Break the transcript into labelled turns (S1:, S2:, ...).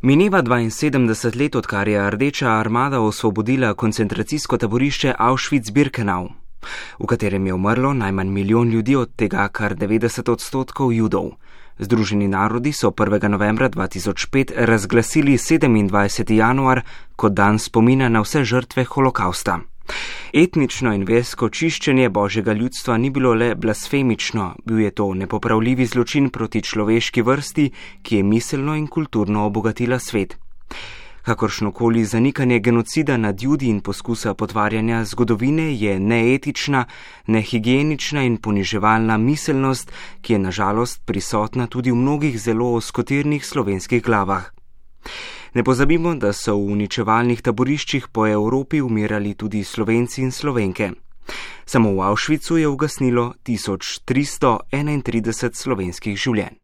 S1: Mineva 72 let, odkar je Rdeča armada osvobodila koncentracijsko taborišče Auschwitz-Birkenau, v katerem je umrlo najmanj 1 milijon ljudi, od tega kar 90% Judov. Združeni narodi so 1. novembra 2005 razglasili 27. januar kot dan spomina na vse žrtve holokausta. Etnično in versko čiščenje božjega ljudstva ni bilo le blasfemično, bil je to nepopravljivi zločin proti človeški vrsti, ki je miselno in kulturno obogatila svet. Kakršnokoli zanikanje genocida nad Judi in poskusa potvarjanja zgodovine je neetična, nehigienična in poniževalna miselnost, ki je nažalost prisotna tudi v mnogih zelo oskotirnih slovenskih glavah. Ne pozabimo, da so v uničevalnih taboriščih po Evropi umirali tudi Slovenci in Slovenke. Samo v Auschwitzu je ugasnilo 1331 slovenskih življenj.